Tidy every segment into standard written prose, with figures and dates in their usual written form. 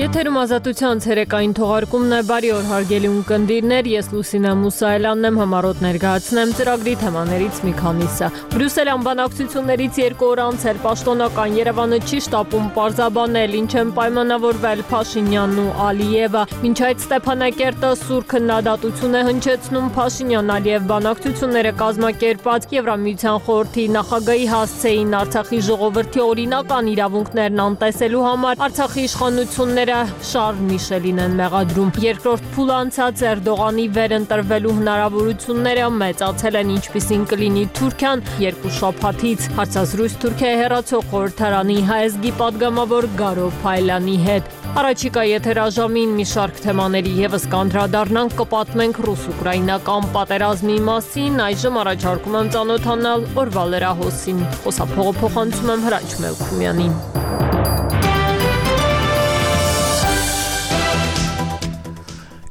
Եթերում ազատության ցերեկային թողարկումն է, բարի օր հարգելի ունկնդիրներ, ես Լուսինե Մուսայելյանն եմ, համառոտ ներկայացնեմ ծրագրի թեմաներից մի քանիսը։ Բրյուսելյան բանակցություններից 2 օր անց էր պաշտոնական Երևանը չի շտապում պարզաբանել, ինչ են պայմանավորվել Փաշինյանն ու Ալիևը։ Մինչ այդ Ստեփանակերտը սուր քննադատություն է հնչեցնում Փաշինյան-Ալիև բանակցությունները կազմակերպած Եվրամիության խորհրդի նախագահի հասցեին Արցախի ժողովրդի օրինական իրավունքներն անտեսելու համար Արցախի իշխանությունները Շարլ Միշելին են մեղադրում։ Երկրորդ փուլ անցած Էրդողանի վերընտրվելու հնարավորությունները մեծացել են, ինչպիսին կլինի Թուրքիան 2 շաբաթից։ Հարցազրույց Թուրքիայի հեռացող խորհրդարանի հայազգի падգամավոր Գարո Փայլյանի հետ։ Առաջիկա եթերաժամին մի շարք թեմաների եւս կանդրադառնանք, կպատմենք ռուս-ուկրաինական պատերազմի մասին, այժմ առաջարկում եմ ծանոթանալ օրվա լրահոսին։ Խոսափողը փոխանցում եմ Հրաչ Մելքումյանին։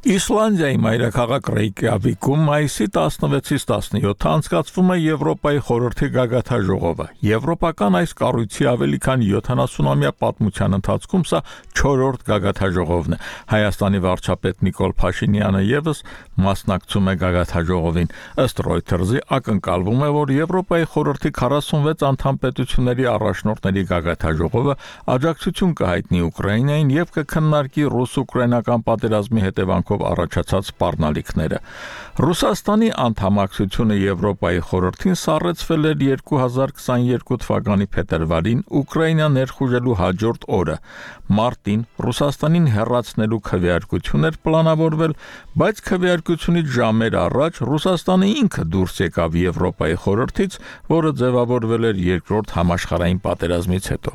Իսլանդիայի մայրաքաղաք Ռեյկյավիկում մայիսի 16-ից 17-ը անցկացվում է Եվրոպայի խորհրդի գագաթնաժողովը։ Եվրոպական այս կառույցի ավելի քան 70-ամյա պատմության ընթացքում սա 4-րդ գագաթնաժողովն է։ Հայաստանի վարչապետ Նիկոլ Փաշինյանը եւս մասնակցում է գագաթնաժողովին։ Ըստ Reuters-ի ակնկալվում է, որ Եվրոպայի խորհրդի 46 անդամ պետությունների առաջնորդների գագաթնաժողովը աջակցություն կհայտնի Ուկրաինային եւ կքննարկի ռուս-ուկրաինական պատերազմի հետևանքով առաջացած սպառնալիքները։ Ռուսաստանի անդամակցությունը Եվրոպայի խորհրդին սառեցվել էր 2022 թվականի փետրվարին Ուկրաինա ներխուժելու հաջորդ օրը։ Մարտին Ռուսաստանին հեռացնելու քվեարկություն էր պլանավորվել, բայց քվեարկությունից ժամեր առաջ Ռուսաստանը ինքը դուրս եկավ Եվրոպայի խորհրդից, որը ձևավորվել էր երկրորդ համաշխարհային պատերազմից հետո։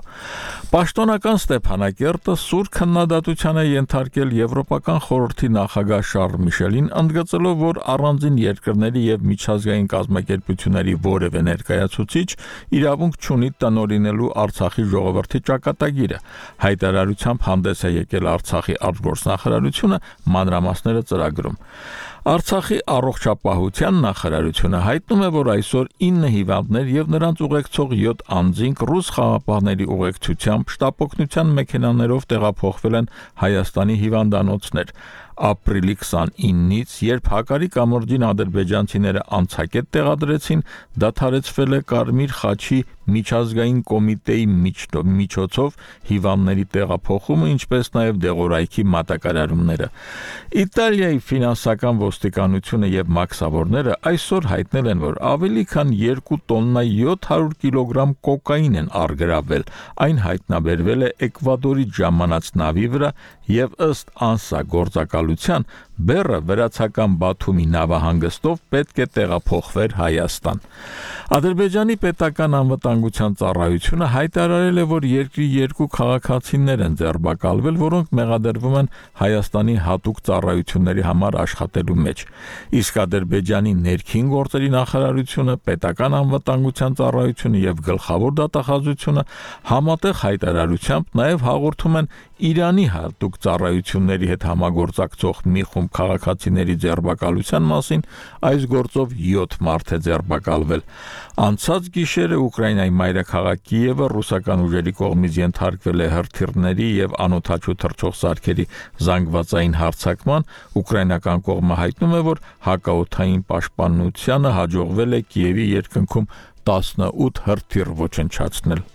Պաշտոնական Ստեփանակերտը սուր քննադատության է ենթարկել Եվրոպական խորհրդի նախագահ Շարլ Միշելին, ընդգծելով, որ առանձին երկրների եւ միջազգային կազմակերպությունների որևէ ներկայացուցիչ իրավունք չունի տնօրինելու Արցախի ժողովրդի ճակատագիրը։ Հայտարարությամբ հանդես է եկել Արցախի արտգործնախարարությունը, մանրամասները ծրագրում։ Արցախի առողջապահության նախարարությունը հայտնում է, որ այսօր 9 հիվանդներ եւ նրանց ուղեկցող 7 անձինք ռուս խաղապահների ուղեկցությամբ շտապօգնության մեքենաներով տեղափոխվել են Հայաստանի հիվանդանոցներ։ Ապրիլի 29-ից, երբ Հակարի կամրջին ադրբեջանցիները անցակետ տեղադրեցին, դադարեցվել է Կարմիր խաչի միջազգային կոմիտեի միջոցով հիվանդների տեղափոխումը, ինչպես նաև դեղորայքի մատակարարումները։ Իտալիայի ֆինանսական ոստիկանությունը եւ մաքսավորները այսօր հայտնել են, որ ավելի քան 2 տոննա 700 կիլոգրամ կոկաին են առգրավվել։ Այն հայտնաբերվել է Էկվադորից ժամանած նավի վրա եւ ըստ ANSA գործակալության բեռը վրացական Բաթումի նավահանգստով պետք է տեղափոխվեր Հայաստան։ Ադրբեջանի պետական անվտանգության ծառայությունը հայտարարել է, որ երկրի 2 քաղաքացիներ են ձերբակալվել, որոնք մեղադրվում են Հայաստանի հատուկ ծառայությունների համար աշխատելու մեջ։ Իսկ Ադրբեջանի ներքին գործերի նախարարությունը, պետական անվտանգության ծառայությունը եւ գլխավոր դատախազությունը համատեղ հայտարարությամբ նաեւ հաղորդում են Իրանի հատուկ ծառայությունների հետ համագործակցող մի խումբ քաղաքացիների ձերբակալության մասին, այս գործով 7 մարդ է ձերբակալվել։ Անցած գիշերը Ուկրաինայի մայրաքաղաք Կիևը ռուսական ուժերի կողմից ենթարկվել է հրթիռների եւ անօդաչու թռչող սարքերի զանգվածային հարձակման, ուկրաինական կողմը հայտնում է, որ հակաօդային պաշտպանությանը հաջողվել է Կիևի երկնքում 18 հրթիռ ոչնչացնել։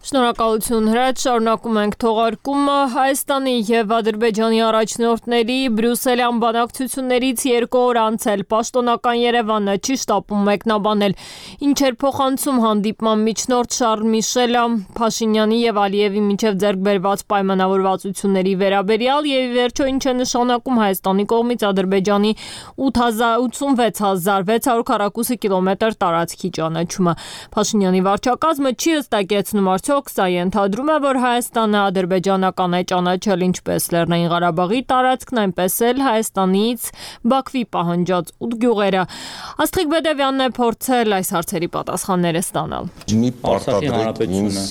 Շնորհակալություն Հրաչ, շարունակում ենք թողարկումը։ Հայաստանի եւ Ադրբեջանի առաջնորդների բրյուսելյան բանակցություններից 2 օր անց էլ պաշտոնական Երևանը չի շտապում մեկնաբանել, ինչ էր փոխանցում հանդիպման միջնորդ Շարլ Միշելը Փաշինյանի եւ Ալիևի միջև ձեռք բերված պայմանավորվածությունների վերաբերյալ եւ ի վերջո ինչ է նշանակում Հայաստանի կողմից Ադրբեջանի 86642 կիլոմետր տարածքի ճանաչումը։ Փաշինյանի վարչակազմը չի հստակեցնում Սա ենթադրում է, որ Հայաստանը ադրբեջանական է ճանաչել ինչպես Լեռնային Ղարաբաղի տարածքն, այնպես էլ Հայաստանից Բաքվի պահանջած 8 գյուղերը։ Աստղիկ Բեդևյանն է փորձել այս հարցերի պատասխանները ստանալ։ Մի պարտադրեք ինձ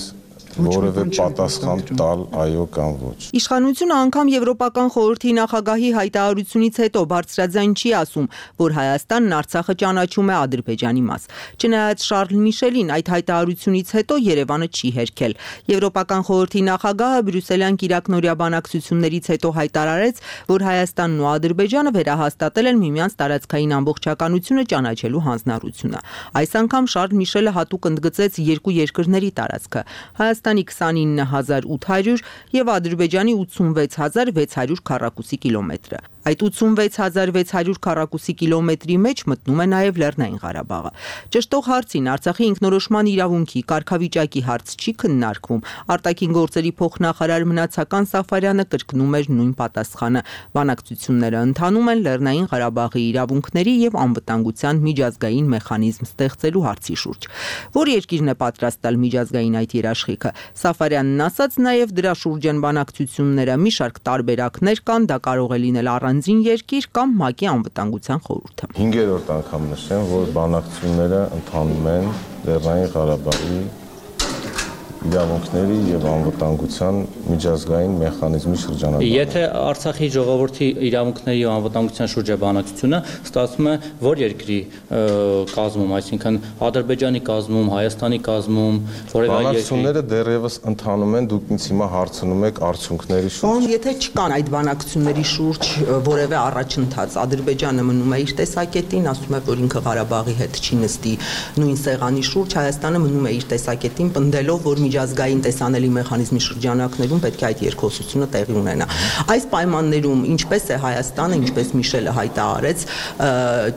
որևէ պատասխան տալ այո կամ ոչ։ Իշխանությունը անգամ Եվրոպական խորհրդի նախագահի հայտարարությունից հետո բարձրաձայն չի ասում, որ Հայաստանն Արցախը ճանաչում է Ադրբեջանի մաս։ Չնայած Շարլ Միշելին այդ հայտարարությունից հետո Երևանը չի հերքել։ Եվրոպական խորհրդի նախագահը բրյուսելյան կիրակնօրյա բանակցություններից հետո հայտարարեց, որ Հայաստանն ու Ադրբեջանը վերահաստատել են միմյանց տարածքային ամբողջականությունը ճանաչելու հանձնառությունը։ Այս անգամ Շարլ Միշելը հատուկ ընդգծեց երկու երկրների տարածքը՝ Հայաստանի 29800 եւ Ադրբեջանի 86600 քառակուսի կիլոմետրը։ Այդ 86600 քառակուսի կիլոմետրի մեջ մտնում է նաև Լեռնային Ղարաբաղը։ Ճշտող հարցին Արցախի ինքնորոշման իրավունքի կարգավիճակի հարց չի քննարկվում։ Արտաքին գործերի փոխնախարար Մնացական Սաֆարյանը կրկնում էր նույն պատասխանը։ Բանակցությունները ընթանում են Լեռնային Ղարաբաղի իրավունքների եւ անվտանգության միջազգային մեխանիզմ ստեղծելու հարցի շուրջ։ Որ երկիրն է պատրաստ տալ միջազգային այդ երաշխիքը։ Սաֆարյանն ասաց նաև դրա շուրջ են բանակցությունները, մի շարք տարբերակներ կան, դա կարող է լինել առանձին երկիր կամ ՄԱԿ-ի անվտանգության խորհուրդը։ 5-րդ անգամ նշեմ, որ բանակցությունները ընթանում են Լեռնային Ղարաբաղի իրավունքների եւ անվտանգության միջազգային մեխանիզմի շրջանակում։ Եթե Արցախի ժողովրդի իրավունքների ու անվտանգության շուրջ է բանակցությունը, ստացվում է որ երկրի կազմում, այսինքն Ադրբեջանի կազմում, Հայաստանի կազմում, որևէ երկրի։ Բանակցությունները դեռևս ընթանում են, դուք ինձ հիմա հարցնում եք արդյունքների շուրջ։ Եթե չկան այդ բանակցությունների շուրջ որևէ առաջընթաց, Ադրբեջանը մնում է իր տեսակետին, ասում է, որ ինքը Ղարաբաղի հետ չի նստի նույն սեղանի շուրջ, Հայաստանը մնում է իր տեսակետին, պնդելով, որ միջազգային տեսանելի մեխանիզմի շրջանակներում պետք է այդ երկխոսությունը տեղի ունենա։ Այս պայմաններում ինչպես է Հայաստանը, ինչպես Միշելը հայտարարեց,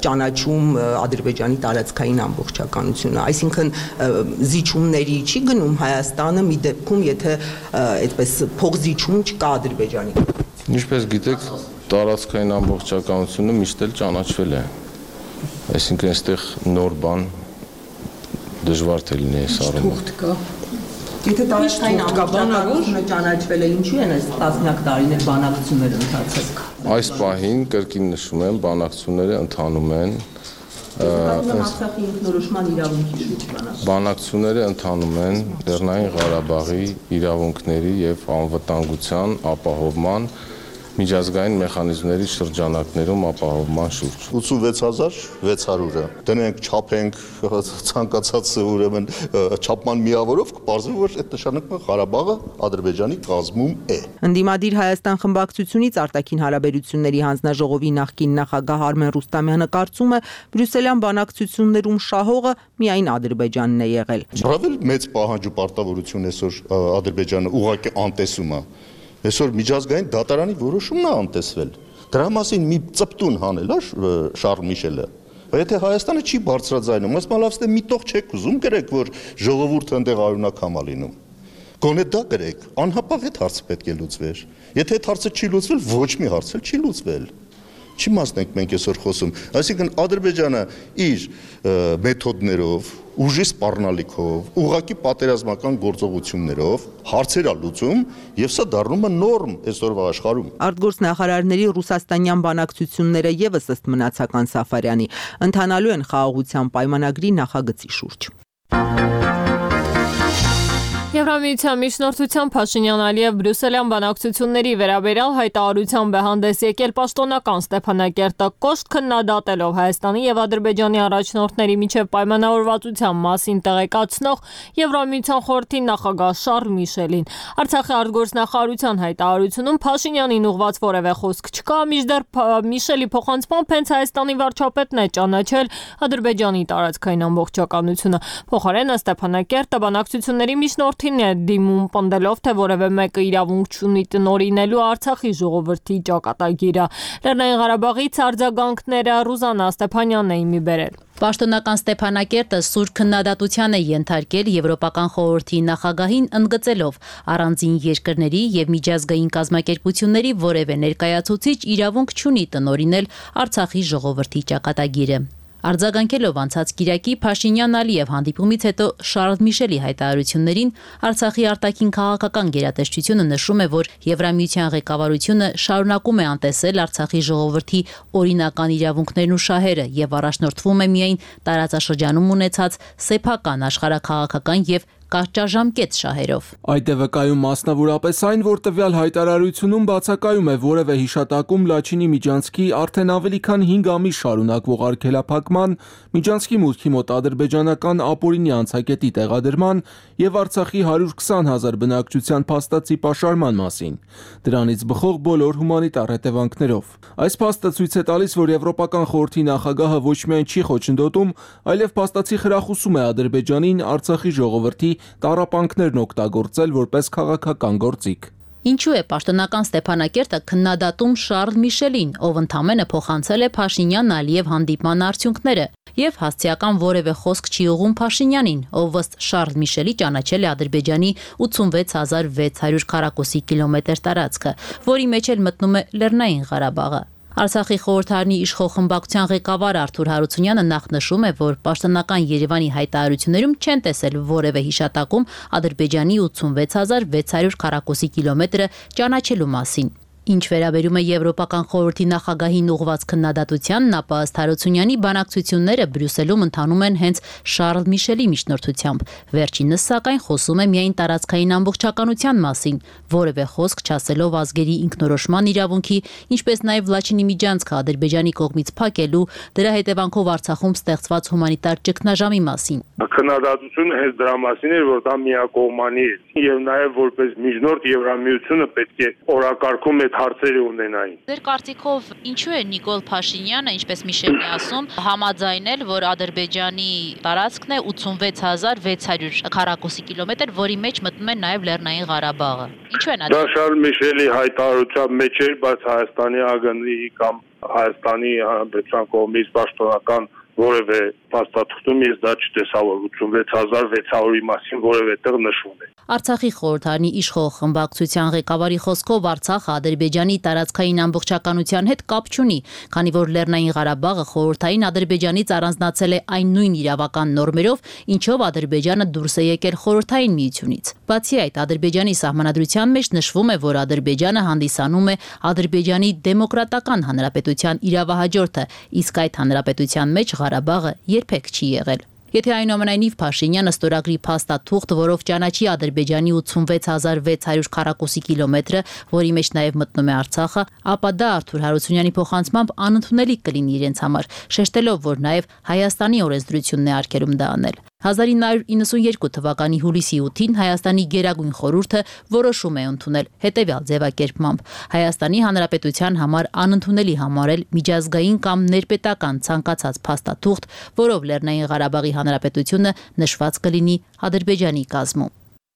ճանաչում Ադրբեջանի տարածքային ամբողջականությունը, այսինքն զիջումների չի գնում Հայաստանը մի դեպքում, եթե այդպես փոխզիջում չկա Ադրբեջանի։ Ինչպես գիտեք, տարածքային ամբողջականությունը միշտ էլ ճանաչվել է։ Այսինքն այստեղ նոր բան դժվար թե լինի այս առումով։ Եթե տարածքային ամբողջականությունը ճանաչվել է, ինչու են այս տասնյակ տարիներ բանակցությունները ընթացել։ Այս պահին կրկին նշում եմ, բանակցությունները ընթանում են։ Արցախի ինքնորոշման իրավունքի շուրջ բանակցությունները ընթանում են Լեռնային Ղարաբաղի իրավունքների եւ անվտանգության ապահովման միջազգային մեխանիզմների շրջանակներում ապահովման շուրջ։ 86600-ը դնենք, չափենք, ցանկացած ուրեմն չափման միավորով կպարզվի, որ այդ նշանակում է Ղարաբաղը Ադրբեջանի կազմում է։ Ընդդիմադիր Հայաստան խմբակցությունից արտաքին հարաբերությունների հանձնաժողովի նախկին նախագահ Արմեն Ռուստամյանը կարծում է, բրյուսելյան բանակցություններում շահողը միայն Ադրբեջանն է եղել։ Բավական մեծ պահանջ ու պարտավորություն այսօր Ադրբեջանը ուղղակի անտեսում է։ Այսօր միջազգային դատարանի որոշումն է անտեսվել։ Դրա մասին մի ծպտուն հանել է Շարլ Միշելը։ Եթե Հայաստանը չի բարձրաձայնում, ասում լավ, մի տող չեք ուզում գրեք, որ ժողովուրդը այնտեղ արյունակամ է լինում։ Գոնե դա գրեք, անհապաղ այդ հարցը պետք է լուծվեր։ Եթե այդ հարցը չի լուծվել, ոչ մի հարց էլ չի լուծվել։ Չի մասնենք մենք այսօր խոսում։ Այսինքն Ադրբեջանը իր մեթոդներով, ուժի սպառնալիքով, ուղղակի պատերազմական գործողություններով հարցեր է լուծում եւ սա դառնում է նորմ այսօրվա աշխարհում։ Արտգործնախարարների ռուսաստանյան բանակցությունները եւս ըստ Մնացական Սաֆարյանի ընթանալու են խաղաղության պայմանագրի նախագծի շուրջ։ Եվրամիության միջնորդության Փաշինյան-Ալիև բրյուսելյան բանակցությունների վերաբերյալ հայտարարությամբ է հանդես եկել պաշտոնական Ստեփանակերտը կոշտ քննադատելով Հայաստանի եւ Ադրբեջանի առաջնորդների միջև պայմանավորվածության մասին տեղեկացնող Եվրամիության խորհրդի նախագահ Շարլ Միշելին։ Արցախի արտգործնախարարության հայտարարությունում Փաշինյանին ուղված որևէ խոսք չկա, մինչդեռ Միշելի փոխանցմամբ հենց Հայաստանի վարչապետն է ճանաչել Ադրբեջանի տարածքային ամբողջականությունը։ Փոխարենը Ստեփանակերտը բանակցությունների միջնորդ դիմում պնդելով, թե որևէ մեկը իրավունք չունի տնօրինելու Արցախի ժողովրդի ճակատագիրը։ Լեռնային Ղարաբաղից արձագանքները Ռուզաննա Ստեփանյանն էին մի բերել։ Պաշտոնական Ստեփանակերտը սուր քննադատության է ենթարկել Եվրոպական խորհրդի նախագահին, ընդգծելով առանձին երկրների եւ միջազգային կազմակերպությունների որևէ ներկայացուցիչ իրավունք չունի տնօրինել Արցախի ժողովրդի ճակատագիրը։ Արձագանքելով անցած կիրակի Փաշինյան-Ալիև հանդիպումից հետո Շարլ Միշելի հայտարարություններին Արցախի արտաքին քաղաքական գերատեսչությունը նշում է, որ Եվրամիության ղեկավարությունը շարունակում է անտեսել Արցախի ժողովրդի օրինական իրավունքներն ու շահերը եւ առաջնորդվում է միայն տարածաշրջանում ունեցած սեփական աշխարհաքաղաքական եւ կարճաժամկետ շահերով։ Այդ է վկայում մասնավորապես այն, որ տվյալ հայտարարությունում բացակայում է որևէ հիշատակում Լաչինի միջանցքի արդեն ավելի քան 5 ամիս շարունակվող արգելափակման, միջանցքի մուտքի մոտ ադրբեջանական ապօրինի անցակետի տեղադրման եւ Արցախի 120,000 բնակչության փաստացի պաշարման մասին, դրանից բխող բոլոր հումանիտար հետևանքներով։ Այս փաստը ցույց է տալիս, որ Եվրոպական խորհրդի նախագահը ոչ միայն չի խոչընդոտում, այլև փաստացի խրախուսում է Ադրբեջանին Արցախի ժողովրդի տառապանքներն օգտագործել որպես քաղաքական գործիք։ Ինչու է պաշտոնական Ստեփանակերտը քննադատում Շարլ Միշելին, ով ընդամենը փոխանցել է Փաշինյան-Ալիև հանդիպման արդյունքները, եւ հասցեական որևէ խոսք չի ուղղում Փաշինյանին, ով ըստ Շարլ Միշելի ճանաչել է Ադրբեջանի 86600 քառակուսի կիլոմետր տարածքը, որի մեջ էլ մտնում է Լեռնային Ղարաբաղը։ Արցախի խորհրդարանի իշխող խմբակցության ղեկավար Արթուր Հարությունյանը նախ նշում է, որ պաշտոնական Երևանի հայտարարություններում չեն տեսել որևէ հիշատակում Ադրբեջանի 86600 քառակուսի կիլոմետրը ճանաչելու մասին։ Ինչ վերաբերում է Եվրոպական խորհրդի նախագահին ուղղված քննադատությանն, ապա ըստ Հարությունյանի բանակցությունները Բրյուսելում ընթանում են հենց Շարլ Միշելի միջնորդությամբ։ Վերջինս սակայն խոսում է միայն տարածքային ամբողջականության մասին, որևէ խոսք չասելով ազգերի ինքնորոշման իրավունքի, ինչպես նաև Լաչինի միջանցքը Ադրբեջանի կողմից փակելու, դրա հետևանքով Արցախում ստեղծված հումանիտար ճգնաժամի մասին։ Քննադատությունը հենց դրա մասին էր, որ դա միակողմանի է, եւ նաեւ որպես միջնորդ Եվրամիությունը պետք է օրակարգում հարցերը ունենային։ Ձեր կարծիքով ինչու է Նիկոլ Փաշինյանը, ինչպես Միշելն է ասում, համաձայնել, որ Ադրբեջանի տարածքն է 86600 քառակուսի կիլոմետր, որի մեջ մտնում է նաև Լեռնային Ղարաբաղը։ Ինչու են դա Շարլ Միշելի հայտարարության մեջ էր, բայց Հայաստանի ԱԳՆ-ի կամ Հայաստանի Հանրապետության կողմից պաշտոնական որևէ փաստաթղթում ես դա չտեսա, որ 86600-ի մասին որևէ տեղ նշվում է։ Արցախի խորհրդարանի իշխող խմբակցության ղեկավարի խոսքով Արցախը Ադրբեջանի տարածքային ամբողջականության հետ կապ չունի, քանի որ Լեռնային Ղարաբաղը խորհրդային Ադրբեջանից առանձնացել է այն նույն իրավական նորմերով, ինչով Ադրբեջանը դուրս է եկել խորհրդային միությունից։ Բացի այդ, Ադրբեջանի սահմանադրության մեջ նշվում է, որ Ադրբեջանը հանդիսանում է Ադրբեջանի դեմոկրատական հանրապետության իրավահաջորդը, իսկ այդ հանրապետության մեջ Ղարաբաղը երբեք չի եղել։ Եթե այնուամենայնիվ Փաշինյանը ստորագրի փաստաթուղթ, որով ճանաչի Ադրբեջանի 86600 քառակուսի կիլոմետրը, որի մեջ նաև մտնում է Արցախը, ապա դա Արթուր Հարությունյանի փոխանցմամբ անընդունելի կլինի իրենց համար, շեշտելով, որ նաև Հայաստանի օրենսդրությունն է արգելում դա անել։ 1992 թվականի հուլիսի 8-ին Հայաստանի Գերագույն խորհուրդը որոշում է ընդունել հետևյալ ձևակերպմամբ. Հայաստանի Հանրապետության համար անընդունելի համարել միջազգային կամ ներպետական ցանկացած փաստաթուղթ, որով Լեռնային Ղարաբաղի Հանրապետությունը նշված կլինի Ադրբեջանի կազմում։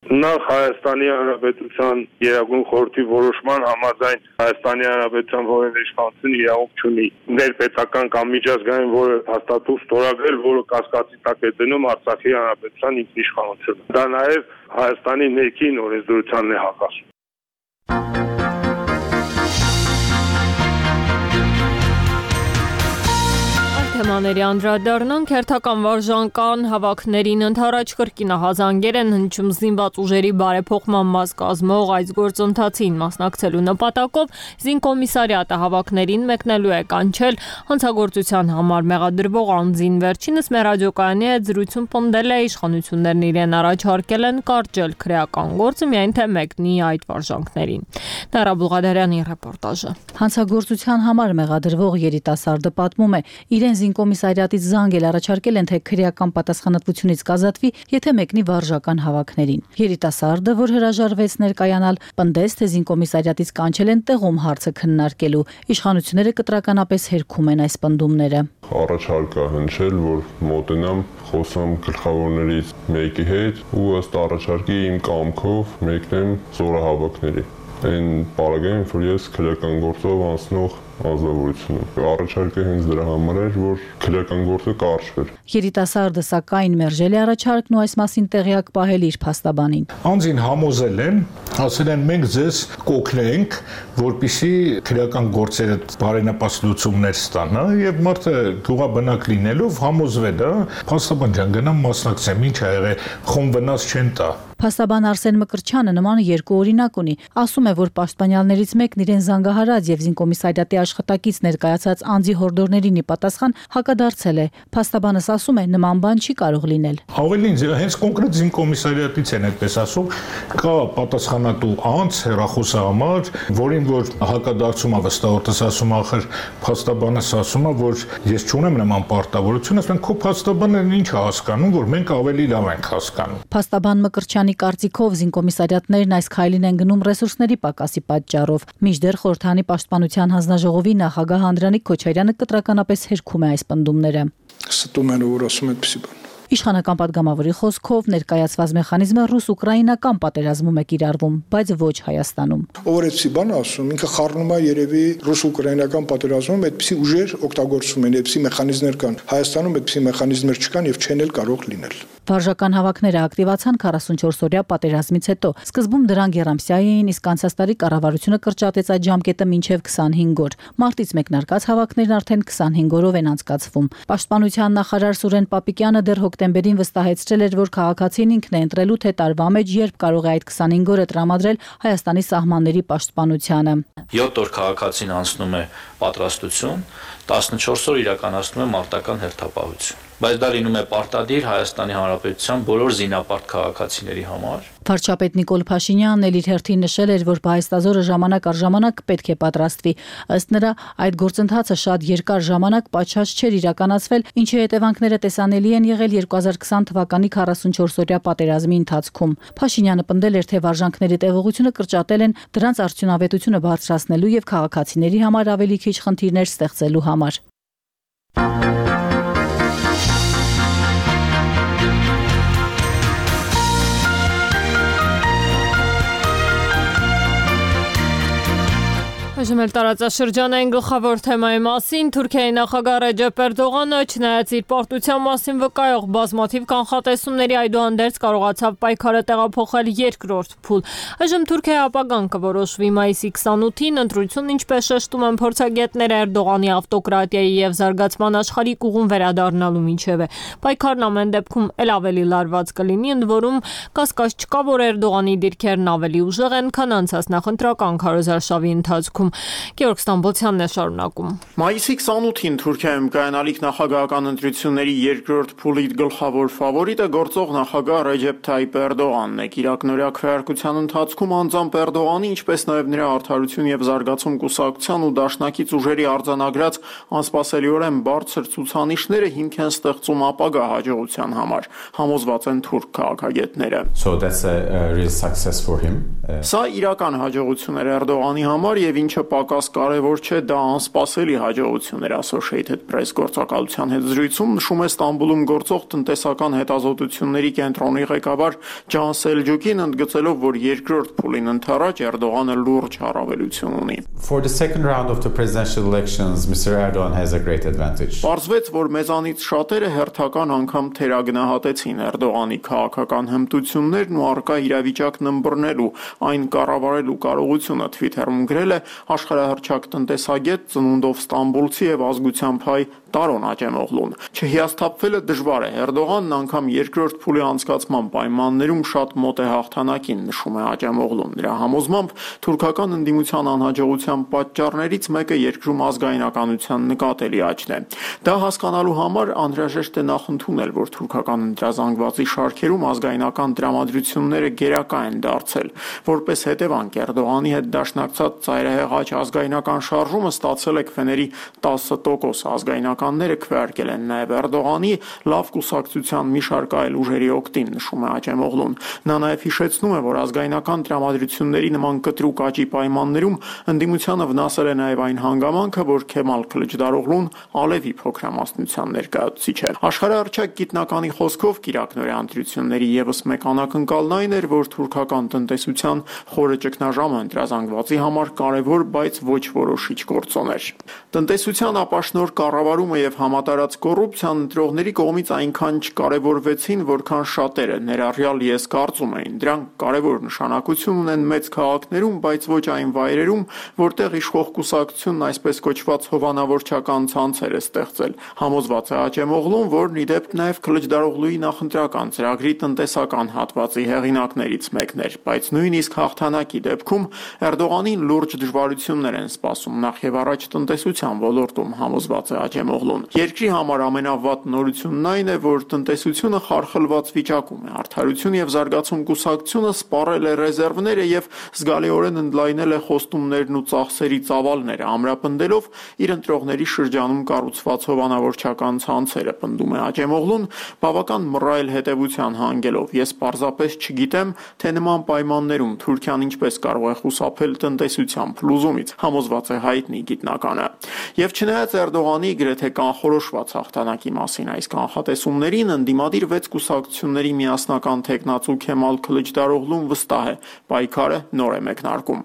Նախ Հայաստանի Հանրապետության Գերագույն խորհրդի որոշման համաձայն Հայաստանի Հանրապետության որևէ իշխանություն իրավունք չունի ներպետական կամ միջազգային որևէ փաստաթուղթ ստորագրել, որը կասկածի տակ է դնում Արցախի Հանրապետության ինքնիշխանությունը։ Դա նաև Հայաստանի ներքին օրենսդրությանն է հակասում։ Թեմաների անդրադառնանք, հերթական վարժանական հավաքներին ընդառաջ կրկինահազանգեր են հնչում զինված ուժերի բարեփոխման մաս կազմող այս գործընթացին մասնակցելու նպատակով զինկոմիսարիատը հավաքներին մեկնելու է կանչել հանցագործության համար մեղադրվող անձին։ Վերջինս մեր ռադիոկայանի հետ զրույցում պնդել է իշխանություններն իրեն առաջարկել են կարճել քրեական գործը, միայն թե մեկնի այդ վարժանքներին։ Նարա Բուղադարյանի ռեպորտաժը։ Հանցագործության համար մեղադրվող երիտասարդը պատմում է, իրեն զինկոմիսարիատից զանգել առաջարկել են, թե քրեական պատասխանատվությունից կազատվի, եթե մեկնի վարժական հավաքներին։ Երիտասարդը, որ հրաժարվեց ներկայանալ, պնդեց, թե զինկոմիսարիատից կանչել են տեղում հարցը քննարկելու։ Իշխանությունները կտրականապես հերքում են այս պնդումները։ Առաջարկ է հնչել, որ մոտենամ, խոսամ գլխավորներից մեկի հետ ու ըստ առաջարկի իմ կամքով մեկնեմ զորահավաքների։ Այն պարագայում, որ ես քրեական գործով անցնող ազնվորությունում։ Առաջարկը հենց դրա համար էր, որ քրեական գործը կարճվեր։ Երիտասարդը սակայն մերժել է առաջարկն ու այս մասին տեղյակ պահել իր փաստաբանին։ Անձին համոզել են, ասել են մենք ձեզ կօգնենք, որպեսզի քրեական գործերը բարենպաստ լուծումներ ստանա եւ մարդը գյուղաբնակ լինելով համոզվել է, փաստաբան ջան գնամ մասնակցեմ, ինչ ա եղել, խոմ վնաս չեն տա։ Փաստաբան Արսեն Մկրտչյանը նման երկու օրինակ ունի։ Ասում է, որ պաշտպանյալներից մեկն իրեն զանգահարած եւ զինկոմիսարիատի աշխատակից ներկայացած անձի հորդորներին ի պատասխան հակադարձել է։ Փաստաբանս ասում է, նման բան չի կարող լինել։ Ավելին, հենց կոնկրետ զինկոմիսարիատից են այդպես ասում, կա պատասխանատու անձ հեռախոսի համար, որին որ հակադարձում է վստահորդս ասում ախր փաստաբանս ասում է, որ ես չունեմ նման պարտավորություն, ասում են քո փաստաբանը ինչ է հասկանում, որ մենք ավելի լավ ենք հասկանում։ Փաստաբան Մկրտչյանի կարծիքով զինկոմիսարիատներն այս քայլին են գնում ռեսուրսների պակասի պատճառով։ Մինչդեռ խորհրդանի պաշտպանության հանձնաժողովի նախագահ Անդրանիկ Քոչարյանը կտրականապես հերքում է այս պնդումները։ Ստում են որ ասում այդպեսի բան։ Իշխանական падգամավորի խոսքով ներկայացված մեխանիզմը ռուս-ուկրաինական պատերազմում է կիրառվում, բայց ոչ Հայաստանում։ Ով այդպեսի բան ասում, ինքը խառնում է երևի ռուս-ուկրաինական պատերազմում այդպեսի ուժեր օգտագործում են, այդպեսի մեխանիզմներ կան։ Հայաստանում այդպեսի մեխանիզմներ չկան եւ չեն էլ կարող լինել։ Վարժական հավաքները ակտիվացան 44-օրյա պատերազմից հետո։ Սկզբում դրանք երամսյա էին, իսկ անցած տարի կառավարությունը կրճատեց այդ ժամկետը մինչև 25 օր։ Մարտից մեկնարկած հավաքներն արդեն 25 օրով են անցկացվում։ Պաշտպանության նախարար Սուրեն Պապիկյանը դեռ հոկտեմբերին վստահեցրել էր, որ քաղաքացին ինքն է ընտրելու թե տարվա մեջ երբ կարող է այդ 25 օրը տրամադրել Հայաստանի սահմանների պաշտպանությանը։ 7 օր քաղաքացին անցնում է պատրաստություն, 14 օր իրականացնում է մարտական հերթապահություն։ Բայց դա լինում է պարտադիր Հայաստանի Հանրապետության բոլոր զինապարտ քաղաքացիների համար։ Վարչապետ Նիկոլ Փաշինյանն էլ իր հերթին նշել էր, որ Պահեստազորը ժամանակ առ ժամանակ պետք է պատրաստվի։ Ըստ նրա, այդ գործընթացը շատ երկար ժամանակ պատշաճ չէր իրականացվել, ինչի հետևանքները տեսանելի են եղել 2020 թվականի 44-օրյա պատերազմի ընթացքում։ Փաշինյանը պնդել էր, թե վարժանքների տևողությունը կրճատել են դրանց արդյունավետությունը բարձրացնելու եւ քաղաքացիների համար ավելի քիչ խնդիրներ ստեղծելու համար։ Այժմ էլ տարածաշրջանային գլխավոր թեմայի մասին Թուրքիայի նախագահ Ռեջեփ Էրդողանը չնայած իր պարտության մասին վկայող բազմաթիվ կանխատեսումների այդուհանդերձ կարողացավ պայքարը տեղափոխել երկրորդ փուլ։ Այժմ Թուրքիայի ապագան կորոշվի մայիսի 28-ին ընտրությունն, ինչպես շեշտում են փորձագետները, Էրդողանի ավտոկրատիայի եւ զարգացման աշխարհիկ ուղուն վերադառնալու միջև է։ Պայքարն ամեն դեպքում ել ավելի լարված կլինի, ընդ որում կասկած չկա, որ Էրդողանի դիրքերն ավելի ուժեղ են, քան անցած նախընտրական քարոզարշավի ընթացքում։ Գեորգ Ստամբոլցյանն է շարունակում։ Մայիսի 28-ին Թուրքիայում կայանալիք նախագահական ընտրությունների երկրորդ փուլի գլխավոր ֆավորիտը գործող նախագահ Ռեջեփ Թայիփ Էրդողանն է։ Կիրակնօրյա քվեարկության ընթացքում անձամբ Էրդողանի, ինչպես նաև նրա Արդարություն եւ զարգացում կուսակցության ու դաշնակից ուժերի արձանագրած անսպասելիորեն բարձր ցուցանիշները հիմք են ստեղծում ապագա հաջողության համար, համոզված են թուրք քաղաքագետները։ Սա իրական հաջողություն էր Էրդողանի համար եւ ինչը պակաս կարևոր չէ, դա անսպասելի հաջողություն էր, Associated Press գործակալության հետ զրույցում նշում է Ստամբուլում գործող տնտեսական հետազոտությունների կենտրոնի ղեկավար Ջան Սելջուկին, ընդգծելով, որ երկրորդ փուլին ընթരാճ Էրդողանը լուրջ առավելություն ունի։ For the second round of the presidential elections, Mr. Erdogan has a great advantage. Պարզվեց, որ մեզանից շատերը հերթական անգամ թերագնահատեցին Էրդողանի քաղաքական հմտություններն ու առկա իրավիճակն ըմբռնելու, այն կառավարելու կարողությունը, Twitter-ում գրել է աշխարհահռչակ տնտեսագետ, ծնունդով ստամբուլցի եւ ազգությամբ հայ Տարոն Աջեմօղլուն։ Չհիասթափվելը դժվար է։ Էրդողանն անգամ երկրորդ փուլի անցկացման պայմաններում շատ մոտ է հաղթանակին, նշում է Աջեմօղլուն։ Նրա համոզմամբ թուրքական ընդդիմության անհաջողության պատճառներից մեկը երկրում ազգայնականության նկատելի աճն է։ Դա հասկանալու համար անհրաժեշտ է նախընդունել, որ թուրքական ընտրազանգվածի շարքերում ազգայնական տրամադրությունները գերակա են դարձել։ Որպես հետևանք Էրդողանի հետ դաշնակցած ծայրահեղաճ ազգայնական շարժումը ստացել է քվեների 10%, ազգայնականները քվեարկել են նաև Էրդողանի լավ կուսակցության մի շարք այլ ուժերի օգտին, նշում է Աջեմօղլուն։ Նա նաև հիշեցնում է, որ ազգայնական տրամադրությունների նման կտրուկ աճի պայմաններում ընդդիմությանը վնասել է նաև այն հանգամանքը, որ Քեմալ Քլիչդարօղլուն Ալևի փոքրամասնության ներկայացուցիչ է։ Աշխարհահռչակ գիտնականի խոսքով կիրակնօրյա ընտրությունների եւս մեկ անակնկալն այն էր, որ թուրքական տնտեսության խորը ճգնաժամը ընտրազանգվածի համար կարևոր, բայց ոչ որոշիչ գործոն էր։ Տնտեսության ապաշնոր կառավարումը եւ համատարած կոռուպցիան ընտրողների կողմից այնքան չկարևորվեցին, որքան շատերը, ներառյալ ես, կարծում էին։ Դրանք կարևոր նշանակություն ունեն մեծ քաղաքներում, բայց ոչ այն վայրերում, որտեղ իշխող կուսակցությունն այսպես կոչված հովանավորչական ցանցեր է ստեղծել։ Համոզված է Աջեմօղլուն, որն ի դեպ նաեւ Քլիչդարօղլուի նախընտրական ծրագրի տնտեսական հատվածի հեղինակներից մեկն էր, բայց նույնիսկ հաղթանակի դեպքում Էրդողանին լուրջ դժվարություններ հարաբերություններ են սպասում նախ եւ առաջ տնտեսության ոլորտում, համոզված է Աջեմօղլուն։ Երկրի համար ամենավատ նորությունն այն է, որ տնտեսությունը խարխլված վիճակում է։ Արդարություն եւ զարգացում կուսակցությունը սպառել է ռեզերվները եւ զգալիորեն ընդլայնել է խոստումներն ու ծախսերի ծավալները, ամրապնդելով իր ընտրողների շրջանում կառուցված հովանավորչական ցանցերը, պնդում է Աջեմօղլուն, բավական մռայլ հետևության հանգելով։ Ես պարզապես չգիտեմ, թե նման պայմաններում Թուրքիան ինչպես կարող է խուսափել տնտեսության փլուզումից, համոզված է հայտնի գիտնականը։ Եվ չնայած Էրդողանի գրեթե կանխորոշված հաղթանակի մասին այս կանխատեսումներին, ընդդիմադիր 6 կուսակցությունների միասնական թեկնածու Քեմալ Քլիչդարօղլուն վստահ է, պայքարը նոր է մեկնարկում։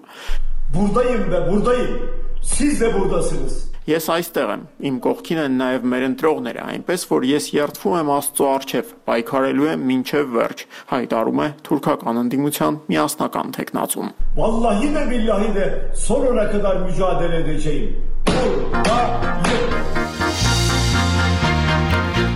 Buradayım ve buradayım. Siz de buradasınız. Ես այստեղ եմ, իմ կողքին են նաև մեր ընտրողները, այնպես որ ես երդվում եմ Աստծո առջև, պայքարելու եմ մինչև վերջ, հայտարարում է թուրքական ընդդիմության միասնական թեկնածուն։ Vallahi de billahi de sonuna kadar mücadele edeceğim.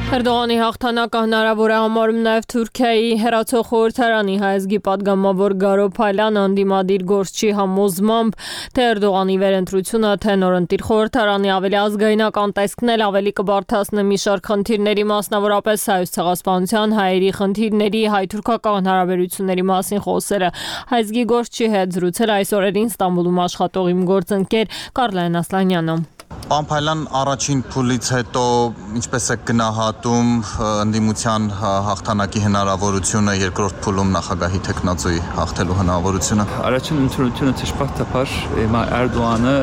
Էրդողանի հաղթանակը հնարավոր է համարում նաև Թուրքիայի հեռացող խորհրդարանի հայազգի պատգամավոր Գարո Փալյանը ընդդիմադիր գործչի համոզմամբ, թե Էրդողանի վերընտրությունը, թե նորընտիր խորհրդարանի ավելի ազգայնական տեսքն էլ ավելի կբարդացնի մի շարք խնդիրների, մասնավորապես Հայոց ցեղասպանության, հայերի խնդիրների, հայ-թուրքական հարաբերությունների մասին խոսելը։ Հայազգի գործչի հետ զրուցել այս օրերին Ստամբուլում աշխատող իմ գործընկեր Կարլեն Ասլանյանը։ Պարոն Փայլյան, առաջին փուլից հետո ինչպես է գնահատում ընդդիմության հաղթանակի հնարավորությունը, երկրորդ փուլում նախագահի տեխնացուի հաղթելու հնարավորությունը։ Առաջին ընտրությունը ճշմարտաբար Էրդողանը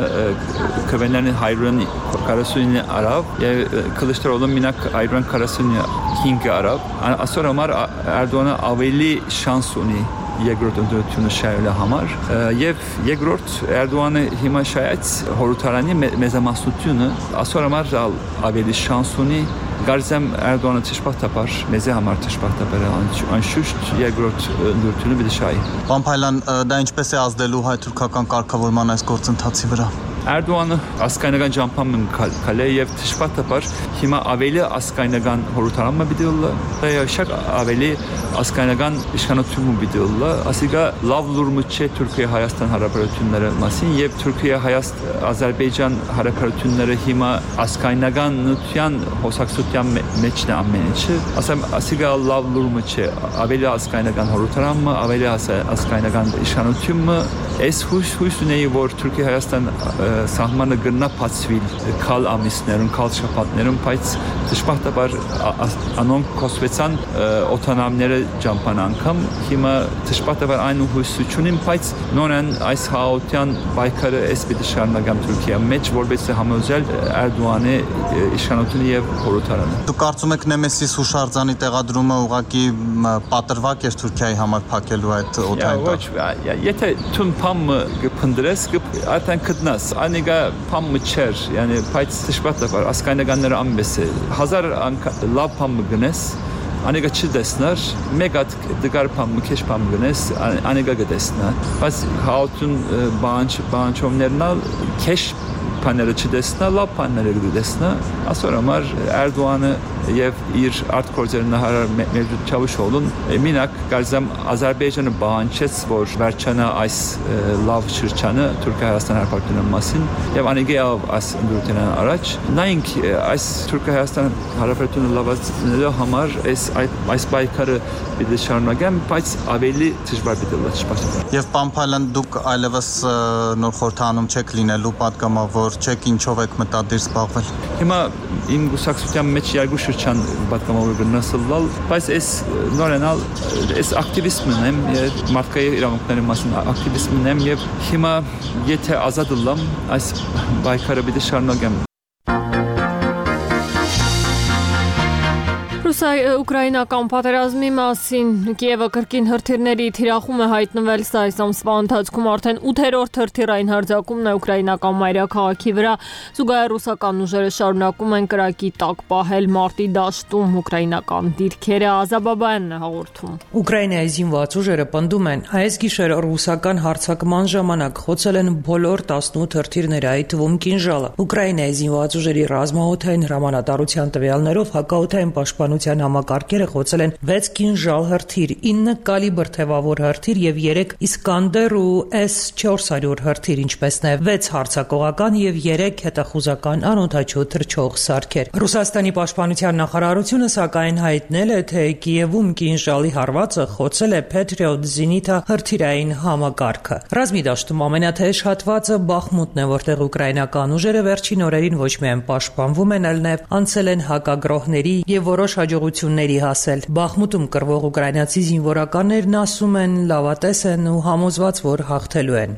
կվենանի 149 արավ եւ Քլիչդարօղլը մինակ 145 արավ։ Այսօր համար Էրդողանը ավելի շանս ունի երկրորդ ընտրությունը շահելու համար եւ երկրորդ Էրդողանը հիմա շահեց խորհրդարանի մեծամասնությունը այսօր համար ավելի շանս ունի Գարզեմ Էրդողանը ճշմարտաբար մեզ համար ճշմարտաբար անշուշտ երկրորդ ընտրությունը պիտի շահի։ Պարոն Փայլյան, դա ինչպես է ազդելու հայ-թուրքական կարգավորման այս գործընթացի վրա։ Էրդողանը ասկայնական ճամփան կալե եւ ճշմարտաբար հիմա ավելի ասկայնական խորհրդարանը պիտի լա եւ ավելի ասկայնական իշխանությունը պիտի լա ասիկա լավ լուրմը չէ Թուրքիա-Հայաստան հարաբերությունները մասին եւ Թուրքիա-Հայաստան-Ադրբեջան հարաբերությունները հիմա ասկայնական նույնության հոսակցության մեջն է ամեն ինչը ասեմ ասիկա լավ լուրմը չէ ավելի ասկայնական խորհրդարանը ավելի ասկայնական իշխանությունը այս հույս ունեի որ Թուրքիա-Հայաստան սահմանը գնա բացվիլ քալ ամիսներում, քալ շաբաթներում, բայց ճշմարտաբար անոնք կոսվեցան օտանամները ճամփան անգամ հիմա ճշմարտաբար այն հույսությունին, բայց նորեն այս հաղորդյան պայքարը էսպիտի շարունակամ Թուրքիա մեջ, որովհետեւ համոզել Էրդողանի իշխանությունը եւ խորհրդարանը։ Դուք կարծում եք Նեմեսիս հուշարձանի տեղադրումը ուղղակի պատրվակ էր Թուրքիայի համար փակելու այդ օտանտը։ Ոչ, եթե թուն փամը կփնդրես, արդեն կդնաս Անիգա փամը չեր, yəni բայց ճշմարտաբար ասկայնականները ամենս է 1000 լավ փամը գնես անիգա չդեսնար մեկ հատ դգար փամը քեշ փամը գնես անիգա գտեսնա բայց հաուտուն բանջովներնա քեշ փաները չդեսնա լավ փաները գտեսնա ասոր համար Էրդողանը եւ իր արտգործերն նահարար Մևլութ Չավուշօղլուն մինակ կարծեմ Ադրբեջանը բանջեց որ վերջանա այս լավ շրջանը Թուրքիա-Հայաստան հարաբերությունների մասին եւ անիգա այս ընդրությունն առաջ նայենք այս Թուրքիա-Հայաստան հարաբերությունները լավացնելու համար այս պայքարը պիտի շարունակեմ բայց ավելի դժվար պիտի լաչպասի եւ պարոն Փալյան դուք այլևս նոր խորհրդանում չեք լինելու պատգամավոր չեք ինչով եք մտադիր զբաղվել հիմա իմ գուսակցության մեջ երկու շրջան պատգամավոր գնացել բայց այս նորենալ այս ակտիվիզմն եմ մարդկային իրավունքների մասին ակտիվիզմն եմ եւ հիմա եթե ազատ լամ այս պայքարը պիտի շարունակեմ Ուկրաինական պատերազմի մասին Կիևը կրկին հրթիռների թիրախում է հայտնվել սա այս ամսվա ընթացքում արդեն 8-րդ հրթիռային հարձակումն է ուկրաինական մայրաքաղաքի վրա զուգահեռ ռուսական ուժերը շարունակում են կրակի տակ պահել մարտի դաշտում ուկրաինական դիրքերը Ազաբաբայանն է հաղորդում Ուկրաինայի զինված ուժերը պնդում են այս գիշեր ռուսական հարձակման ժամանակ խոցել են բոլոր 18 հրթիռները այդ թվում կինժալը Ուկրաինայի զինված ուժերի ռազմաօդային հրամանատարության տվյալներով հակաօդային պաշտպանության պաշտպանության համակարգերը խոցել են 6 կինժալ հրթիռ, 9 կալիբր թևավոր հրթիռ եւ 3 Իսկանդեր ու S-400 հրթիռ, ինչպես նաեւ 6 հարձակողական եւ 3 հետախուզական անօդաչու թռչող սարքեր։ Ռուսաստանի պաշտպանության նախարարությունը սակայն հայտնել է, թե Կիևում կինժալի հարվածը խոցել է Patriot Zenit հրթիռային համակարգը։ Ռազմի դաշտում ամենաթեժ հատվածը Բախմուտն է, որտեղ ուկրաինական ուժերը վերջին օրերին ոչ միայն պաշտպանվում են, այլ նաև անցել են հակագրոհների եւ որոշ հաջողությունների հասել։ Բախմուտում կռվող ուկրաինացի զինվորականներն ասում են, լավատես են ու համոզված, որ հաղթելու են։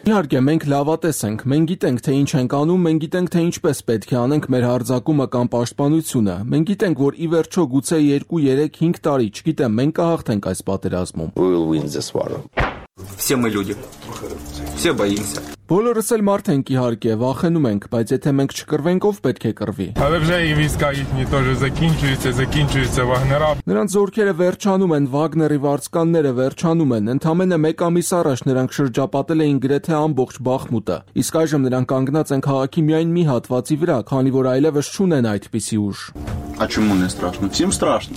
Իհարկե, մենք լավատես ենք, մենք գիտենք, թե ինչ ենք անում, մենք գիտենք, թե ինչպես պետք է անենք մեր հարձակումը կամ պաշտպանությունը։ Մենք գիտենք, որ ի վերջո գուցե 2, 3, 5 տարի, չգիտեմ, մենք կհաղթենք այս պատերազմում։ Все мы люди. Все боимся. Բոլորս էլ մարդ ենք իհարկե, վախենում ենք, բայց եթե մենք չկռվենք, ով պետք է կռվի։ Նրանց զորքերը վերջանում են, Վագների վարձկանները վերջանում են, ընդամենը 1 ամիս առաջ նրանք շրջապատել էին գրեթե ամբողջ Բախմուտը։ Իսկ այժմ նրանք կանգնած են քաղաքի միայն մի հատվածի վրա, քանի որ այլևս չունեն այդպիսի ուժ։ Почему не страшно? Всем страшно.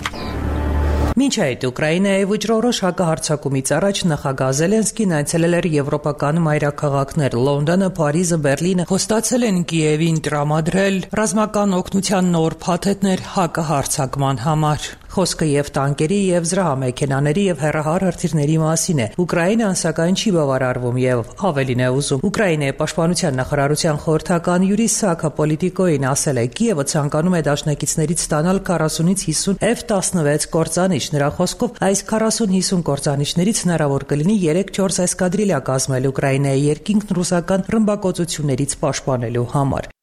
Մինչ այդ Ուկրաինայի վճռորոշ հակահարձակումից առաջ նախագահ Զելենսկին այցելել էր եվրոպական մայրաքաղաքներ Լոնդոնը, Փարիզը, Բերլինը, խոստացել են Կիևին տրամադրել ռազմական օգնության նոր փաթեթներ հակահարձակման համար։ Խոսքը եւ տանկերի եւ զրահամեքենաների եւ հեռահար հրթիռների մասին է։ Ուկրաինան սակայն չի բավարարվում եւ ավելին է ուզում։ Ուկրաինայի պաշտպանության նախարարության խորհրդական Յուրի Սակա Պոլիտիկոին ասել է, Կիևը ցանկանում է դաշնակիցներից ստանալ 40-ից 50 F-16 կործանիչ։ Նրա խոսքով այս 40-50 կործանիչներից հնարավոր կլինի 3-4 էսկադրիլյա կազմել Ուկրաինայի երկինքն ռուսական ռմբակոծություններից պաշտպանելու համար։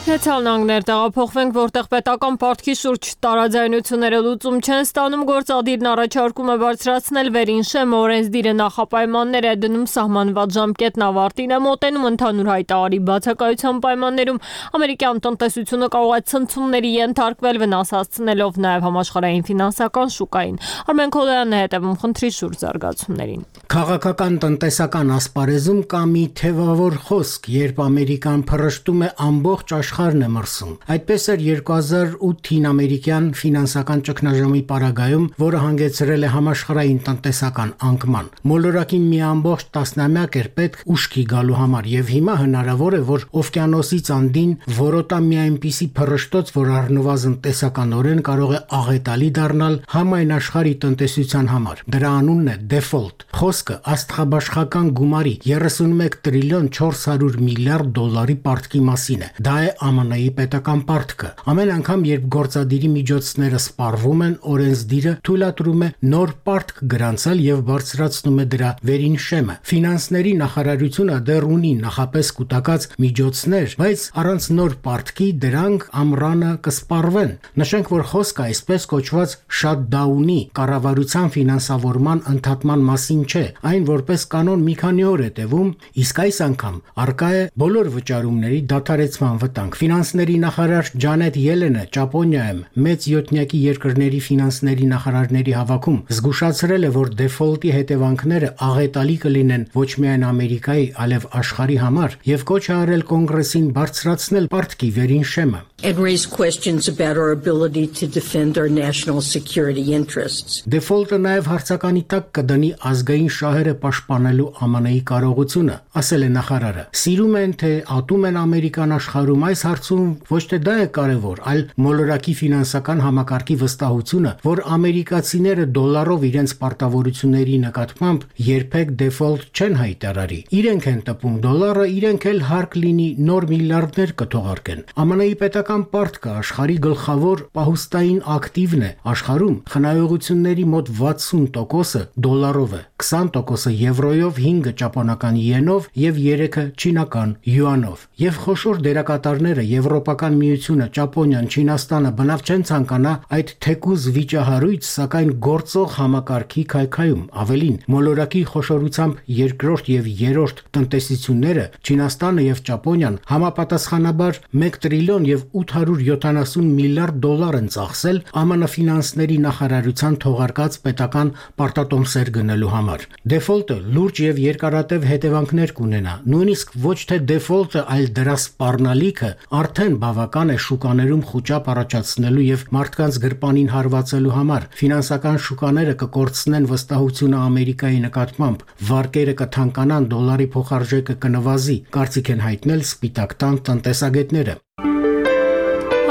Ցալնանգներ տեղափոխվենք, որտեղ պետական պարտքի շուրջ տարաձայնությունները լուծում չեն ստանում, գործադիրն առաջարկում է բարձրացնել վերին շեմ, օրենսդիրը նախապայմաններ է դնում սահմանված ժամկետն ավարտին է մոտենում, ընդհանուր հայտարարի բացակայության պայմաններում ամերիկյան տնտեսությունը կարող է ցնցումների ենթարկվել, վնաս հասցնելով նաև համաշխարհային ֆինանսական շուկային։ Արմեն Քոլոյանն է հետևում խնդրի շուրջ զարգացումներին։ Քաղաքական տնտեսական ասպարեզում կա մի թևավոր խոսք, երբ Ամերիկան փռշտում է ամբողջ աշխարհն է մրսում։ Այդպես էր 2008-ին ամերիկյան ֆինանսական ճգնաժամի պարագայում, որը հանգեցրել է համաշխարհային տնտեսական անկման։ Մոլորակին մի ամբողջ տասնամյակ էր պետք ուշքի գալու համար, եւ հիմա հնարավոր է, որ օվկիանոսից անդին որոտա մի այնպիսի փռշտոց, որ առնվազն տեսականորեն կարող է աղետալի դառնալ համայն աշխարհի տնտեսության համար։ Դրա անունն է default։ Խոսքը աստղաբաշխական գումարի 31 տրիլիոն 400 միլիարդ դոլարի պարտքի մասին է։ Դա է ԱՄՆ-ի պետական պարտքը։ Ամեն անգամ, երբ գործադիրի միջոցները սպառվում են, օրենսդիրը թույլատրում է նոր պարտք գրանցել եւ բարձրացնում է դրա վերին շեմը։ Ֆինանսների նախարարությունը դեռ ունի նախապես կուտակած միջոցներ, բայց առանց նոր պարտքի դրանք ամռանը կսպառվեն։ Նշենք, որ խոսքը այսպես կոչված shutdown-ի կառավարության ֆինանսավորման ընդհատման մասին չէ, այն որպես կանոն մի քանի օր է տևում, իսկ այս անգամ արկա է բոլոր վճարումների դադարեցման վտանգ։ Ֆինանսների նախարար Ջանետ Ելենը Ճապոնիայում մեծ յոթնյակի երկրների ֆինանսների նախարարների հավաքում զգուշացրել է, որ դեֆոլտի հետևանքները աղետալի կլինեն ոչ միայն Ամերիկայի, այլև աշխարհի համար եւ կոչ է արել կոնգրեսին բարձրացնել պարտքի վերին շեմը։ And raise questions about our ability to defend our national security interests. Default-ը նաև հարցականի տակ կդնի ազգային շահերը պաշտպանելու ԱՄՆ-ի կարողությունը, ասել է նախարարը։ Սիրում են թե ատում են ամերիկան աշխարհում, այս հարցում ոչ թե դա է կարևոր, այլ մոլորակի ֆինանսական համակարգի վստահությունը, որ ամերիկացիները դոլարով իրենց պարտավորությունների նկատմամբ երբեք default չեն հայտարարի։ Իրենք են տպում դոլարը, իրենք էլ հարկ լինի նոր միլիարդներ կթողարկեն։ ԱՄՆ-ի պետական պարտքը աշխարհի գլխավոր պահուստային ակտիվն է։ Աշխարհում խնայողությունների մոտ 60%-ը դոլարով է, 20%-ը եվրոյով, 5-ը ճապոնական յենով եւ 3-ը չինական յուանով։ Եվ խոշոր դերակատարները Եվրոպական միությունը, Ճապոնիան, Չինաստանը բնավ չեն ցանկանա այդ թեկուզ վիճահարույց, սակայն գործող համակարգի քայքայում։ Ավելին, մոլորակի խոշորությամբ երկրորդ եւ երրորդ տնտեսությունները, Չինաստանը եւ Ճապոնիան համապատասխանաբար 1 տրիլիոն եւ 870 միլիարդ դոլար են ծախսել ԱՄՆ ֆինանսների նախարարության թողարկած պետական պարտատոմսեր գնելու համար։ Դեֆոլտը լուրջ եւ երկարատև հետևանքներ կունենա։ Նույնիսկ ոչ թե դեֆոլտը, այլ դրա սպառնալիքը արդեն բավական է շուկաներում խուճապ առաջացնելու եւ մարդկանց գրպանին հարվածելու համար։ Ֆինանսական շուկաները կկորցնեն վստահությունը Ամերիկայի նկատմամբ, վարկերը կթանկանան, դոլարի փոխարժեքը կնվազի, կարծիք են հայտնել Սպիտակ տան տնտեսագետները։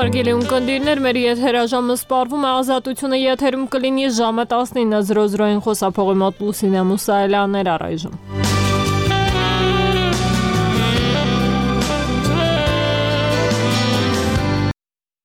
Հարգելի ունկնդիրներ, մեր եթերաժամը սպառվում է, Ազատությունը եթերում կլինի ժամը 19:00-ին խոսափողի մոտ Լուսինե Մուսայելյանն էր առայժմ։